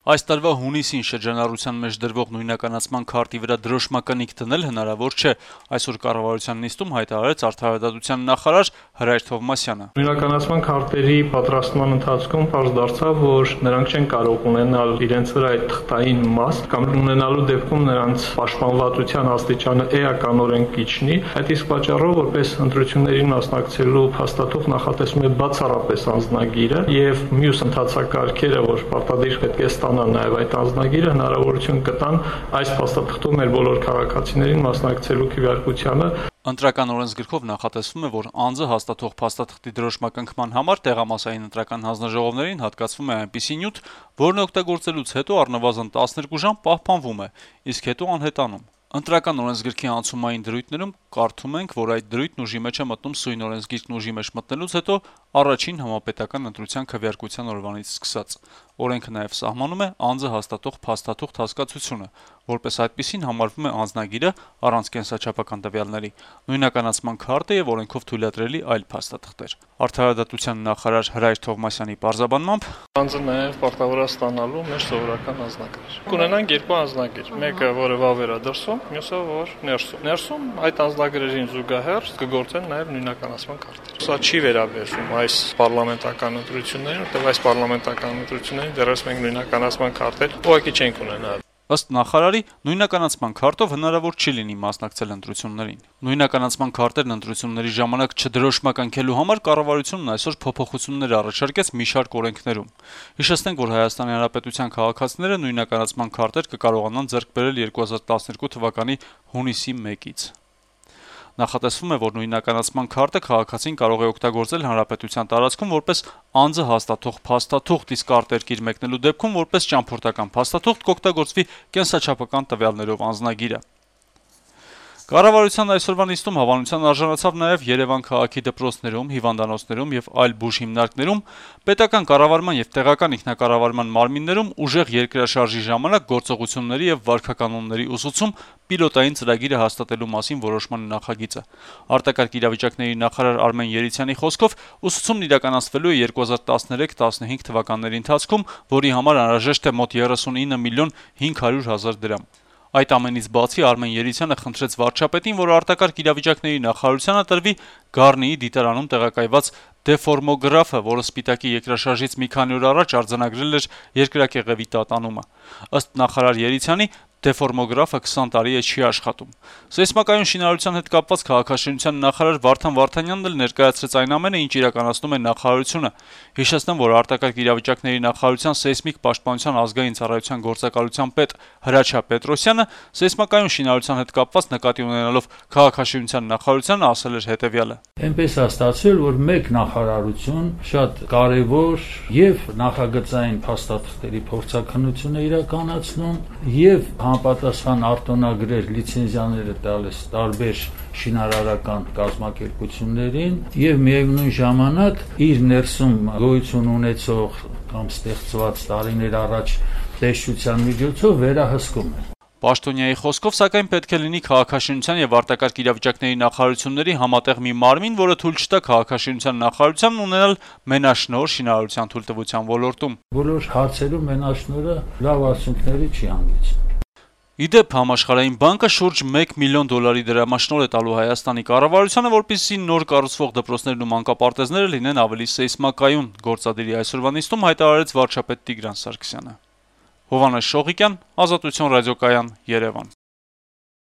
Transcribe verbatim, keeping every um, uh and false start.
Այս տարվա հունիսին շրջանառության մեջ դրվող նույնականացման քարտի վրա դրոշմականիկ դնել հնարավոր չէ, այսօր կառավարության նիստում հայտարարեց Արդարադատության նախարար Հրայր Թովմասյանը։ Նույնականացման քարտերի պատրաստման ընթացքում պարզ դարձավ, որ նրանք չեն կարող ունենալ իրենց վրա այդ թղթային մաս կամ ունենալու դեպքում նրանց պաշտպանվածության աստիճանը էականորեն կիչնի, այդ իսկ պատճառով որպես ընտրություններին մասնակցելու փաստաթուղթ նախատեսում է բացառապես անձնագիրը եւ մյուս ընթացակարգերը, որ պարտադիր պետք է ստանան նաեւ այդ անձնագիրը հնարավորություն կտան այս փաստաթղթում մեր բոլոր քաղաքացիներին մասնակցելու քվեարկությանը։ Ընտրական օրենսգրքով նախատեսվում է, որ անձը հաստատող փաստաթղթի դրոշմակնքման համար տեղամասային ընտրական հանձնաժողովներին հատկացվում է այնպիսի նյութ, որն օգտագործելուց հետո առնվազն տասներկու ժամ պահպանվում է, իսկ հետո անհետանում։ Ընտրական օրենսգրքի անցումային դրույթներում կարդում ենք, որ այդ դրույթն ուժի մեջ է մտնում սույն օրենսգիրքն ուժի մեջ մտնելուց հետո առաջին համապետական ընտրության քվեարկության օրվանից սկսած։ Օրենքը նաև սահմանում է անձը հաստատող փաստաթուղթ հասկացությունը, որպես այդպիսին համարվում է անձնագիրը առանց կենսաչափական տվյալների, նույնականացման քարտը եւ օրենքով թույլատրելի այլ փաստաթղթեր։ Արդարադատության նախարար Հրայր Թովմասյանի պարզաբանմամբ անձը նաև պարտավոր է ստանալու մեր սովորական անձնագիր։ Կունենանք երկու անձնագիր, մեկը որը վավեր է դրսում, մյուսը որ ներսում։ Ներսում այդ անձնագրերին զուգահեռ կգործեն նաև նույնականացման քարտեր։ Սա չի վերաբերվում այս պարլամենտական ընտրություններին, որտեղ այս պարլամենտական ընտրություններին դեռևս մենք նույնականացման քարտեր ուղղակի չենք ունենալ։ Ըստ նախարարի, նույնականացման քարտով հնարավոր չի լինի մասնակցել ընտրություններին։ Նույնականացման քարտերն ընտրությունների ժամանակ չդրոշմականքելու համար կառավարությունն այսօր փոփոխություններ առաջարկեց մի շարք օրենքներում։ Հիշեցնենք, որ Հայաստանի Հանրապետության քաղաքացիները նույնականացման քարտեր կկարողանան ձեռք բերել երկու հազար տասներկու թվականի հունիսի մեկից։ Նախատեսվում է, որ նույնականացման քարտը քաղաքացին կարող է օգտագործել հանրապետության տարածքում որպես անձը հաստատող փաստաթուղթ, իսկ արտերկիր մեկնելու դեպքում որպես ճամփորդական փաստաթուղթ կօգտագործվի կենսաչափական տվյալներով անձնագիրը։ Կառավարության այսօրվա նիստում հավանության արժանացավ նաև Երևան քաղաքի դպրոցներում, հիվանդանոցներում եւ այլ բուժ հիմնարկներում պետական կառավարման եւ տեղական ինքնակառավարման մարմիններում ուժեղ երկրաշարժի ժամանակ գործողությունների եւ վարքականոնների ուսուցում պիլոտային ծրագիրը հաստատելու մասին որոշման նախագիծը։ Արտակարգ իրավիճակների նախարար Արմեն Երիցյանի խոսքով ուսուցումն իրականացվելու է երկու հազար տասներեք տասնհինգ թվականների ընթացքում, որի համար անհրաժեշտ է մոտ երեսունինը միլիոն հինգ հարյուր հազար դրամ։ Այդ ամենից բացի Արմեն Երիցյանը խնդրեց վարչապետին, որ արտակարգ իրավիճակների նախարարությանը տրվի Գառնիի դիտարանում տեղակայված դեֆորմոգրաֆը, որը Սպիտակի երկրաշարժից մի քանի օր առաջ արձանագրել էր երկրակեղևի տատանումը։ Ըստ նախարար Երիցյանի, դեֆորմոգրաֆը քսան տարի է չի աշխատում։ Սեյսմակայուն շինարարության հետ կապված քաղաքաշինության նախարար Վարդան Վարդանյանն էլ ներկայացրեց այն ամենը, ինչ իրականացնում է նախարարությունը։ Հիշեցնեմ, որ արտակարգ իրավիճակների նախարարության սեյսմիկ պաշտպանության ազգային ծառայության գործակալության պետ Հրաչյա Պետրոսյանը սեյսմակայուն շինարարության հետ կապված նկատի ունենալով քաղաքաշինության նախարարությանը ասել էր հետևյալը. Այնպես է ստացվել, որ մեկ նախարարություն շատ կարևոր եւ նախագծային փաստաթղթերի փորձաքննություն է իրականացնում եւ համապատասխան արտոնագրեր լիցենզիաները տալիս տարբեր շինարարական կազմակերպություններին եւ միևնույն ժամանակ իր ներսում գոյություն ունեցող կամ ստեղծված տարիներ առաջ տեսչության միջոցով վերահսկում է։ Պաշտոնյայի խոսքով, սակայն պետք է լինի քաղաքաշինության եւ արտակարգ իրավիճակների նախարարությունների համատեղ մի մարմին, որը թույլ չտա քաղաքաշինության նախարարությանն ունենալ մենաշնորհ շինարարության թույլտվության ոլորտում։ Բոլոր հարցերում մենաշնորհը լավ արդյունքների չի հանգեցնում։ Իդեպ համաշխարհային բանկը շուրջ մեկ միլիոն դոլարի դրամաշնորհ է տալու Հայաստանի կառավարությանը, որպեսզի նոր կառուցվող դպրոցներն ու մանկապարտեզները լինեն ավելի սեյսմակայուն, գործադիրի այսօրվա նիստում հայտարարեց վարչապետ Տիգրան Սարգսյանը։ Հովհաննես Շողիկյան, Ազատություն ռադիոկայան, Երևան։